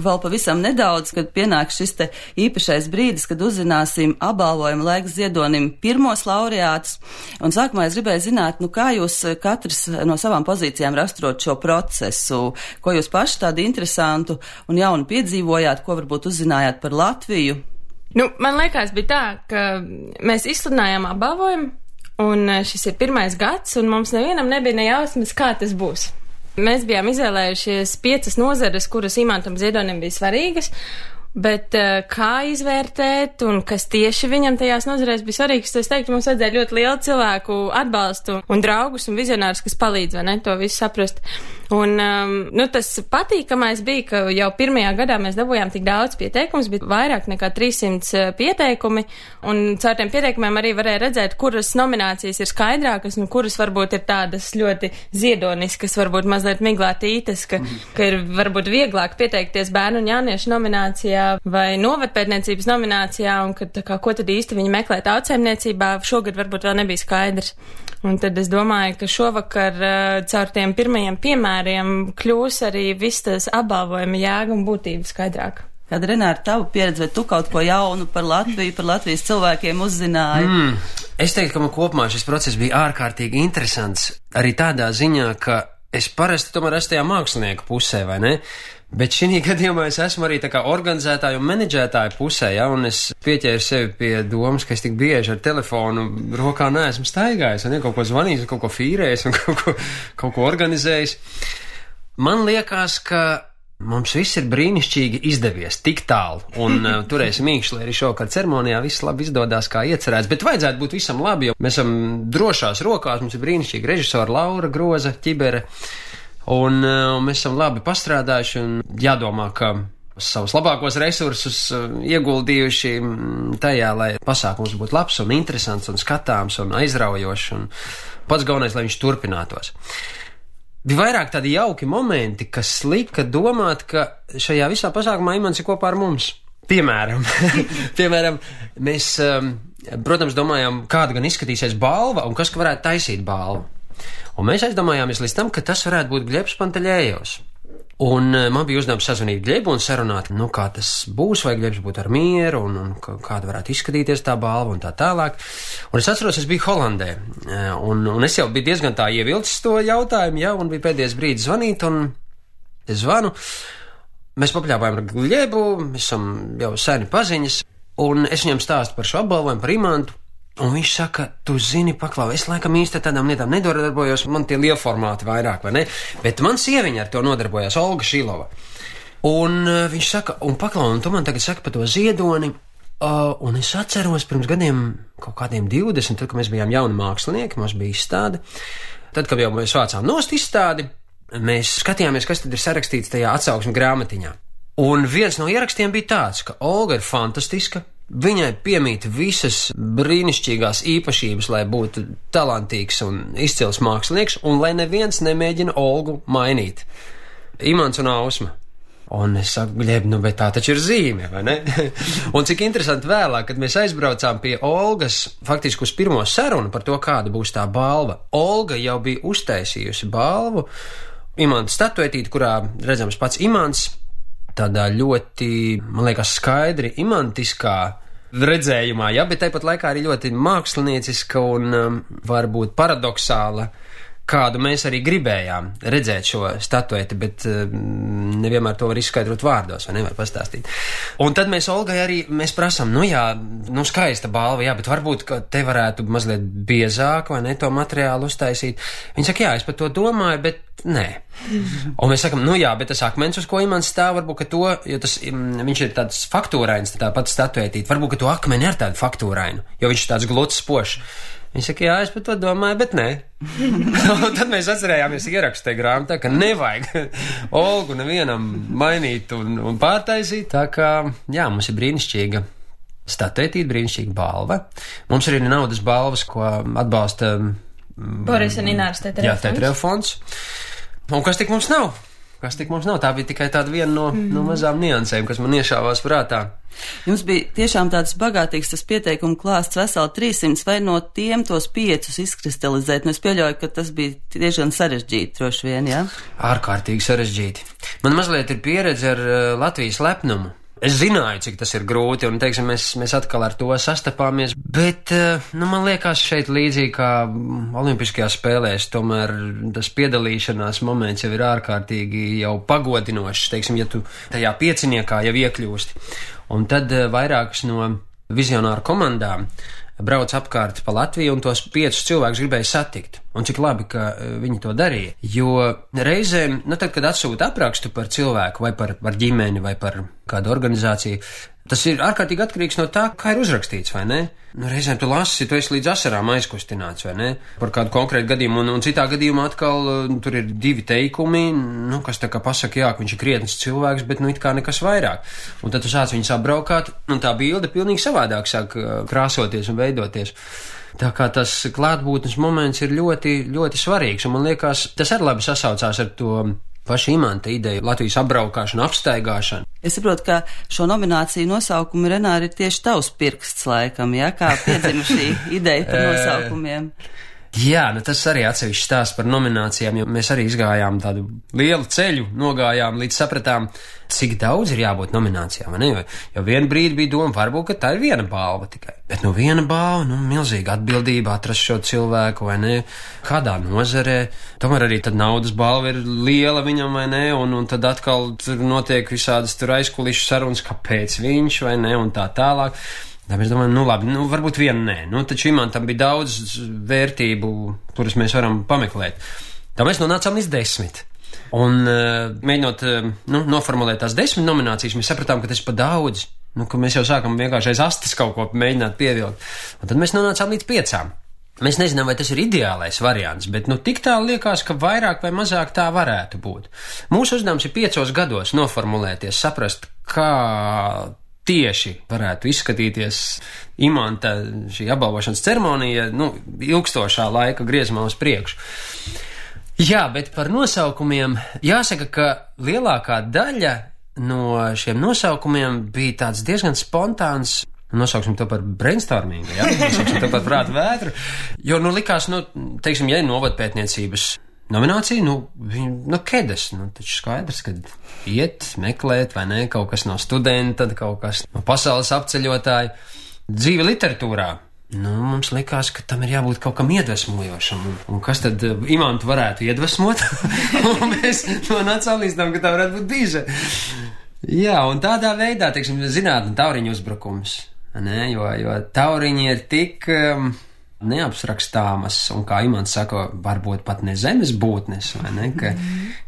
vēl pavisam nedaudz, kad pienāk šis te īpašais brīdis, kad uzzināsim apbalvojumu laiks ziedonim pirmos laureātus. Un sākumā es gribēju zināt, kā jūs katrs no savām pozīcijām raksturot šo procesu, ko jūs paši tādu interesantu un jaunu piedzīvojāt, ko varbūt uzzinājāt par Latviju? Man liekas, bija tā, ka mēs izsludinājām apbalvojumu, un šis ir pirmais gads, un mums nevienam nebija nejausmas, kā tas būs. Mēs bijām izvēlējušies 5 nozares, kuras Imantam Ziedonim bija svarīgas, bet kā izvērtēt un kas tieši viņam tajās nozarēs bija svarīgs, es teiktu, mums vajadzēja ļoti lielu cilvēku atbalstu un draugus un vizionārus, kas palīdz, vai ne, to visu saprast. Un, tas patīkamais bija, ka jau pirmajā gadā mēs dabūjām tik daudz pieteikumus, bija vairāk nekā 300 pieteikumi, un caur tiem pieteikumiem arī varēja redzēt, kuras nominācijas ir skaidrākas, un kuras varbūt ir tādas ļoti ziedoniskas, varbūt mazliet miglātītas, ka ir varbūt vieglāk pieteikties bērnu un jauniešu nominācijā vai novadpētniecības nominācijā, un ko tad īsti viņi meklē tautsēmniecībā, šogad varbūt vēl nebija skaidrs. Un tad es domāju, ka šovakar caur tiem pirmajiem piemēriem kļūs arī viss tas apbalvojuma jēga un būtība skaidrāk. Kad Renāra, tavu pieredzi, vai tu kaut ko jaunu par Latviju, par Latvijas cilvēkiem uzzināji? Es teiktu, ka man kopumā šis process bija ārkārtīgi interesants, arī tādā ziņā, ka es parasti tomēr esmu tajā mākslinieka pusē, vai ne? Bet šī gadījumā es esmu arī tā kā organizētāju un menedžētāju pusē, ja, un es pieķēru sevi pie domas, ka es tik bieži ar telefonu rokā neesmu staigājis, un kaut ko zvanījis, kaut ko fīrējis, un kaut ko organizējis. Man liekas, ka mums viss ir brīnišķīgi izdevies tik tālu, un turēsim mīkšķi, lai arī šovakar ceremonijā viss labi izdodās kā iecerēts, bet vajadzētu būt visam labi, jo mēs esam drošās rokās, mums ir brīnišķīgi režisori Laura Groza, Ķibere, un mēs esam labi pastrādājuši, un jādomā, ka savus labākos resursus ieguldījuši tajā, lai pasākums būtu labs un interesants un skatāms un aizraujošs, un pats galvenais, lai viņš turpinātos. Bija vairāk tādi jauki momenti, kas lika domāt, ka šajā visā pasākumā Imants ir kopā ar mums. Piemēram, mēs, protams, domājām, kāda gan izskatīsies balva un kas varētu taisīt balvu. Un mēs aizdomājāmies līdz tam, ka tas varētu būt Gļebs Panteļējos. Un man bija uzdevums sazvanīt Gļebu un sarunāt, kā tas būs, vai Gļebs būtu ar mieru, un kāda varētu izskatīties tā balva un tā tālāk. Un es atceros, es biju Holandē, un es jau biju diezgan tā ievilcis to jautājumu, ja, un bija pēdējais brīdis zvanīt, un es zvanu. Mēs papļāpājām ar Gļebu, mēs esam jau seni paziņas, un es viņam stāstu par šo apbalvojumu, par Imantu. Un viņš saka, tu zini, paklau, es laikam īsti tādām lietām nedarbojos, man tie lielformāti vairāk, vai ne? Bet man sieviņa ar to nodarbojās, Olga Šilova. Un viņš saka, un paklau, un tu man tagad saki par to ziedoni, un es atceros pirms gadiem, kaut kādiem 20, tad, kad mēs bijām jauni mākslinieki, mums bija izstāde, tad, kad jau mēs vācām nost izstādi, mēs skatījāmies, kas tad ir sarakstīts tajā atsauksmes grāmatiņā. Un viens no ierakstiem bija tāds, ka Olga ir fantastiska, viņai piemīt visas brīnišķīgās īpašības, lai būtu talantīgs un izcils mākslinieks, un lai neviens nemēģina Olgu mainīt. Imants un Ausma. Un es saku, Gļeb, bet tā taču ir zīme, vai ne? Un cik interesanti vēlāk, kad mēs aizbraucām pie Olgas, faktiski uz pirmo sarunu par to, kāda būs tā balva. Olga jau bija uztaisījusi balvu, Imanta statuetīti, kurā redzams pats Imants, tādā ļoti, man liekas, skaidri imantiskā redzējumā, ja, bet tāpat laikā arī ļoti mākslinieciska un varbūt paradoxāla, kādu mēs arī gribējām redzēt šo statueti, bet nevienmēr to var izskaidrot vārdos, vai nevar pastāstīt. Un tad mēs Olgai arī, mēs prasām, skaista balva, jā, bet varbūt, ka te varētu mazliet biezāk, vai ne, to materiālu uztaisīt. Viņi saka, jā, es par to domāju, bet nē. Un mēs sakam, bet tas akmens, uz ko Imants stāv, varbūt, ka to, jo viņš ir tāds faktūrains, tā pats statuētīt, varbūt, ka to akmeni ir tādu faktūrainu, jo viņš ir tāds gluds spošs. Viņš saka, jā, es par to domāju, bet nē. Un tad mēs atcerējāmies ierakstu tajā grāmatā, ka nevajag Olgu nevienam mainīt un pārtaisīt. Tā kā, jā, mums ir brīnišķīga statuētība, brīnišķīga balva. Mums ir arī naudas balvas, ko atbalsta Boris un Ināras Tetereva fonds. Un kas tik mums nav? kas tik mums nav. Tā bija tikai tāda viena no mazām niansēm, kas man iešāvās prātā. Jums bija tiešām tāds bagātīgs tas pieteikumu klāsts veseli 300, vai no tiem tos 5 izkristalizēt? Nu, es pieļauju, ka tas bija diezgan sarežģīti, droši vien, jā? Ārkārtīgi sarežģīti. Man mazliet ir pieredze ar Latvijas lepnumu. Es zināju, cik tas ir grūti, un, teiksim, mēs atkal ar to sastapāmies, bet, man liekas, šeit līdzīgi kā Olimpiskajās spēlēs, tomēr tas piedalīšanās moments jau ir ārkārtīgi jau pagodinošs, teiksim, ja tu tajā pieciniekā jau iekļūsti. Un tad vairākas no vizionāru komandām brauc apkārt pa Latviju un tos 5 cilvēkus gribēja satikt. Un cik labi, ka viņi to darīja. Jo reizēm, tad, kad atsūta aprakstu par cilvēku vai par ģimeni vai par kādu organizāciju, tas ir ārkārtīgi atkarīgs no tā, kā ir uzrakstīts, vai ne? Reizēm tu lasi, tu esi līdz asarām aizkustināts, vai ne? Par kādu konkrētu gadījumu, un citā gadījumā atkal tur ir 2 teikumi, kas tā kā pasaka, jā, ka viņš ir krietns cilvēks, bet it kā nekas vairāk. Un tad tu sāc viņus apbraukāt, un tā bilde pilnīgi savādāk sāk krāsoties un veidoties. Tā kā tas klātbūtnes moments ir ļoti, ļoti svarīgs, un man liekas, tas arī labi sasaucās ar to paša Imanta ideju, Latvijas apbraukāšanu, apstaigāšanu. Es saprotu, ka šo nomināciju nosaukumu, Renāri, ir tieši tavs pirksts laikam, ja? Kā piedzima šī ideja par nosaukumiem? Jā, tas arī atsevišķi stāsts par nominācijām, jo mēs arī izgājām tādu lielu ceļu, nogājām līdz sapratām, cik daudz ir jābūt nominācijām, vai ne? Jo vienu brīdi bija doma, varbūt, ka tā ir viena balva tikai. Bet viena balva, milzīga atbildība atrast šo cilvēku, vai ne? Kādā nozarē. Tomēr arī tad naudas balva ir liela viņam, vai ne? Un tad atkal tur notiek visādas tur aizkulišu sarunas, kāpēc viņš, vai ne? Un tā tālāk. Tā mēs domājam, labi, varbūt vienu nē. Taču Imantam bija daudz vērtību, kuras mēs varam pameklēt. Tā mēs nonācām līdz 10. Un mēģinot noformulēt tās 10 nominācijas, mēs sapratām, ka tas ir pa daudz. Ka mēs jau sākam vienkārši aiz astes kaut ko mēģināt pievilkt. Un tad mēs nonācām līdz 5. Mēs nezinām, vai tas ir ideālais variants, bet tik tā liekas, ka vairāk vai mazāk tā varētu būt. Mūsu uzdevums ir 5 gados noformulēties, saprast, kā tieši varētu izskatīties Imanta šī apbalvošanas ceremonija, ilgstošā laika griezumā uz priekšu. Jā, bet par nosaukumiem jāsaka, ka lielākā daļa no šiem nosaukumiem bija tāds diezgan spontāns. Nosauksim to par brainstorming, ja? Nosauksim to par prātu vētru. Jo, likās, teiksim, ja ir novadpētniecības nominācija, kedas, taču skaidrs, ka iet, meklēt, vai ne, kaut kas no studenta, kaut kas no pasaules apceļotāja. Dzīve literatūrā. Mums likās, ka tam ir jābūt kaut kam iedvesmojošam. Un kas tad Imantu varētu iedvesmot? Un mēs nonācām līdz tam, ka tā varētu būt bīža. Jā, un tādā veidā, teiksim, zinātne tauriņu uzbrukums. Ne? Jo tauriņi ir tik neapsrakstāmas, un kā Imants saka, varbūt pat ne zemes būtnes, vai ne?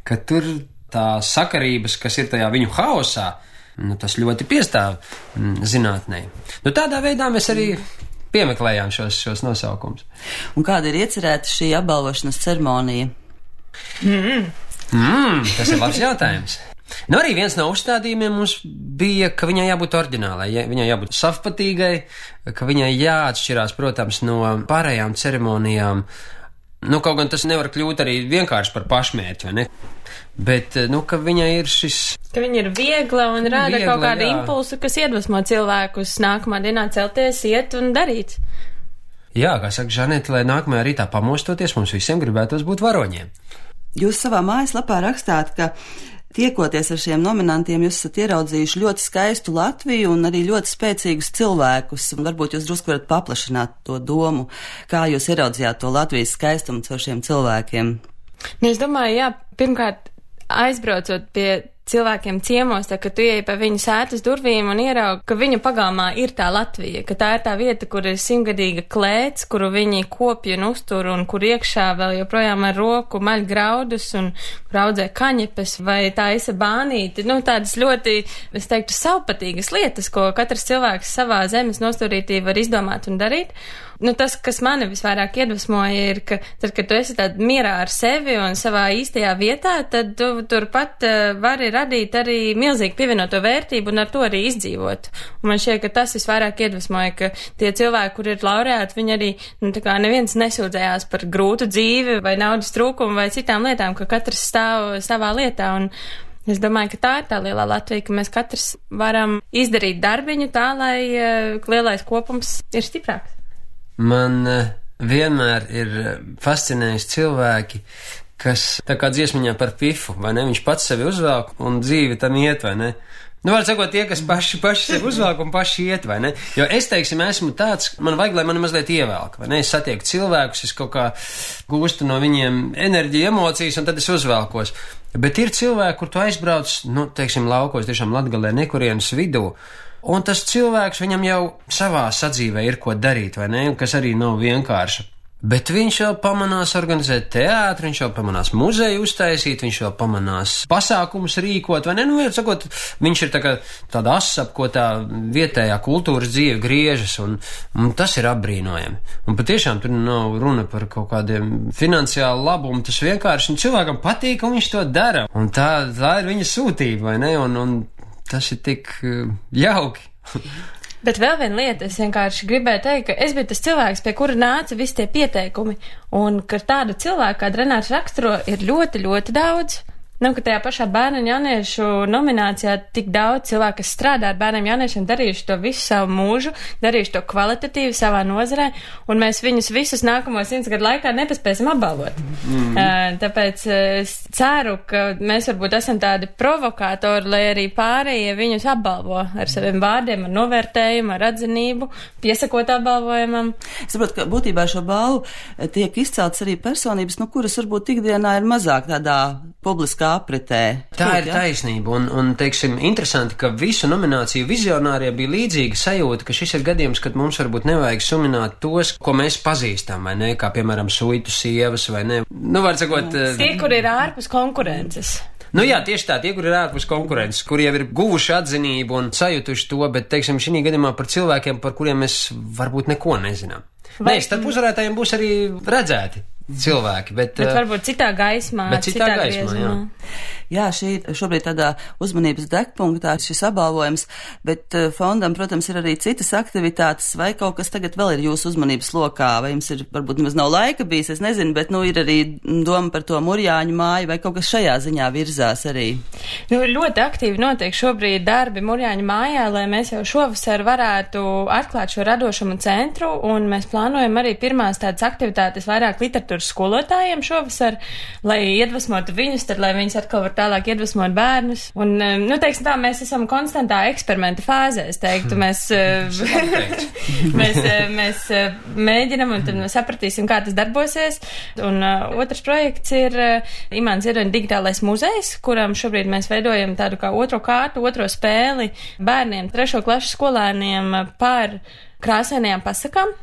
Ka tur tā sakarības, kas ir tajā viņu haosā, tas ļoti piestāv zinātnē. Tādā veidā mēs arī piemeklējām šos nosaukums. Un kāda ir iecerēta šī apbalvošanas ceremonija? Tas ir labs jautājums. Arī viens no uzstādījumiem mums bija, ka viņai jābūt oriģinālai, viņai jābūt savpatīgai, ka viņai jāatšķirās, protams, no pārējām ceremonijām. Kaut gan tas nevar kļūt arī vienkārši par pašmērķi, vai ne? Bet, ka viņai ir šis... Ka viņa ir viegla un rāda kaut kādu impulsu, kas iedvesmo cilvēkus nākamā dienā celties, iet un darīt. Jā, kā saka Žanete, lai nākamajā rītā pamostoties, mums visiem gribētos būt varoņiem. Jūs savā mājaslapā rakstāt, ka tiekoties ar šiem nominantiem, jūs esat ieraudzījuši ļoti skaistu Latviju un arī ļoti spēcīgus cilvēkus. Varbūt jūs drusku varat paplašināt to domu, kā jūs ieraudzījāt to Latvijas skaistumu caur šiem cilvēkiem. Es domāju, jā, pirmkārt, aizbraucot pie cilvēkiem ciemos, tā, ka tu ieej pa viņu sētas durvīm un ieraugi, ka viņu pagalmā ir tā Latvija, ka tā ir tā vieta, kur ir 100-gadīga klēts, kuru viņi kopja un uztur un kur iekšā vēl joprojām ar roku maļ graudus un kur audzē kaņepes vai taisa bānīti. Tādas ļoti, es teiktu, savpatīgas lietas, ko katrs cilvēks savā zemes nostūrītī var izdomāt un darīt. Tas, kas mani visvairāk iedvesmoja, ir, ka tad, kad tu esi tādā mierā ar sevi un savā īstajā vietā, tad tu turpat vari radīt arī milzīgi pievienoto vērtību un ar to arī izdzīvot. Un man šķiet, ka tas visvairāk iedvesmoja, ka tie cilvēki, kur ir laureāti, viņi arī, tā kā neviens nesūdzējās par grūtu dzīvi vai naudas trūkumu vai citām lietām, ka katrs stāv savā lietā. Un es domāju, ka tā ir tā lielā Latvija, ka mēs katrs varam izdarīt darbiņu tā, lai lielais kopums ir stiprāks. Man vienmēr ir fascinējis cilvēki, kas tā kā dziesmiņā par Pifu, vai ne? Viņš pats sevi uzvelk un dzīve tam iet, vai ne? Nu, var sakot, tie, kas paši sevi uzvelk un paši iet, vai ne? Jo es, teiksim, esmu tāds, man vajag, lai mani mazliet ievelk, vai ne? Es satieku cilvēkus, es kaut kā gūstu no viņiem enerģiju, emocijas, un tad es uzvelkos. Bet ir cilvēki, kur tu aizbrauc, nu, teiksim, laukos, tiešām Latgalē, nekurienes vidū, un tas cilvēks viņam jau savā sadzīvē ir ko darīt, vai ne? Kas arī nav vienkārši. Bet viņš jau pamanās organizēt teātri, viņš jau pamanās muzeju uztaisīt, viņš jau pamanās pasākumus rīkot, vai ne? Nu, sakot, viņš ir tāda asa, ap ko tā vietējā kultūras dzīve griežas, un tas ir apbrīnojami. Un patiešām tur nav runa par kaut kādiem finansiālu labumu, tas vienkārši cilvēkam patīk, un viņš to dara. Un tā ir viņa sūtība, vai ne? Un tas ir tik jauki. Bet vēl viena lieta, es vienkārši gribēju teikt, ka es biju tas cilvēks, pie kura nāca visi tie pieteikumi, un ka tādu cilvēku, kā Renārs raksturo, ir ļoti, ļoti daudz. Nu, ka tajā pašā bērnu un jauniešu nominācijā tik daudz cilvēku, kas strādā ar bērniem jauniešiem, darījuši to visu savu mūžu, darījuši to kvalitatīvi savā nozarē, un mēs viņus visus nākamos 100 gadu laikā nepaspēsim apbalvot. Tāpēc es ceru, ka mēs varbūt esam tādi provokātori, lai arī pārējie viņus apbalvo ar saviem vārdiem, ar novērtējumu, ar atzinību, piesakot apbalvojumam. Es saprotu, ka būtībā šo balvu tiek izcelts arī personības, nu, kuras varbūt ikdienā ir mazāk tādā publiskā apritē. Tā ir taisnība, un teiksim, interesanti, ka visu nomināciju vizionāriem bija līdzīga sajūta, ka šis ir gadījums, kad mums varbūt nevajag sumināt tos, ko mēs pazīstam, vai ne, kā piemēram suitu sievas, vai ne. Nu, var sakot... Tie, kur ir ārpus konkurences. Nu jā, tieši tā, tie, kur ir ārpus konkurences, kur jau ir guvuši atzinību un sajutuši to, bet, teiksim, šī gadījumā par cilvēkiem, par kuriem mēs varbūt neko nezinām. Nē, starp uzvarētājiem būs arī redzēti cilvēki, bet varbūt citā gaismā, citā griezumā. Jā, šī šobrīd tādā uzmanības degpunktā šis apbalvojums, bet fondam, protams, ir arī citas aktivitātes, vai kaut kas tagad vēl ir jūsu uzmanības lokā, vai jums ir, varbūt nemaz nav laika bijis, es nezinu, bet, nu, ir arī doma par to Murjāņu māju, vai kaut kas šajā ziņā virzās arī? Nu, ļoti aktīvi notiek šobrīd darbi Murjāņu mājā, lai mēs jau šovasar varētu atklāt šo radošumu centru, un mēs plānojam arī pirmās tādas aktivitātes vairāk literatūras skolotājiem šovasar, lai iedvesmotu viņus, tad, lai viņus atkal var tālāk iedvesmot bērnus. Un, nu, teiksim tā, mēs esam konstantā eksperimenta fāzē, es teiktu. Mēs mēģinam un tad mēs sapratīsim, kā tas darbosies. Un otrs projekts ir Imants Ziedoņa digitālais muzejs, kuram šobrīd mēs veidojam tādu kā otro kārtu, otro spēli bērniem, 3. klašu skolēniem par krāsainajām pasakām.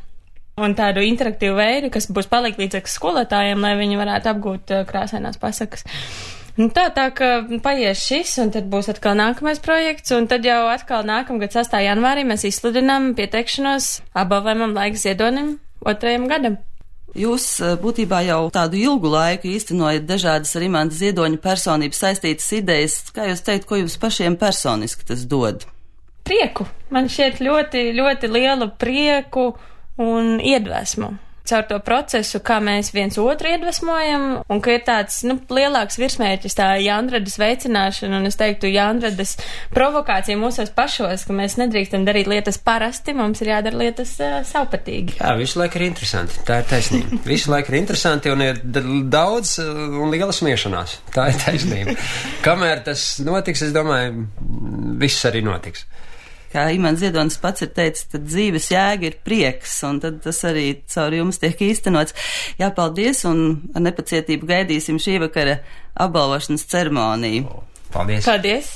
Un tādu interaktīvu veidu, kas būs palīdzīgs skolotājiem, lai viņi varētu apgūt krāsainās pasakas. Nu tā ka paies šis, un tad būs atkal nākamais projekts, un tad jau atkal nākamgad 6. janvārī mēs izsludinām pieteikšanos apbalvojumam Laiks Ziedonim 2. gadam. Jūs būtībā jau tādu ilgu laiku īstenojat dažādas ar Imanta Ziedoņa personības saistītas idejas. Kā jūs teikt, ko jums pašiem personiski tas dod? Prieku. Man šķiet ļoti, ļoti lielu prieku un iedvesmu caur to procesu, kā mēs viens otru iedvesmojam, un ka ir tāds, nu, lielāks virsmērķis, tā Jānradas veicināšana, un es teiktu Jānradas provokācija mūsos pašos, ka mēs nedrīkstam darīt lietas parasti, mums ir jādara lietas savpatīgi. Jā, visu laiku ir interesanti, tā ir taisnība. Visu laiku ir interesanti un ir daudz un liela smiešanās, tā ir taisnība. Kamēr tas notiks, es domāju, viss arī notiks. Kā Imants Ziedonis pats ir teicis, tad dzīves jēga ir prieks, un tad tas arī caur jums tiek īstenots. Jā, paldies, un ar nepacietību gaidīsim šī vakara apbalvošanas ceremoniju. Paldies! Paldies!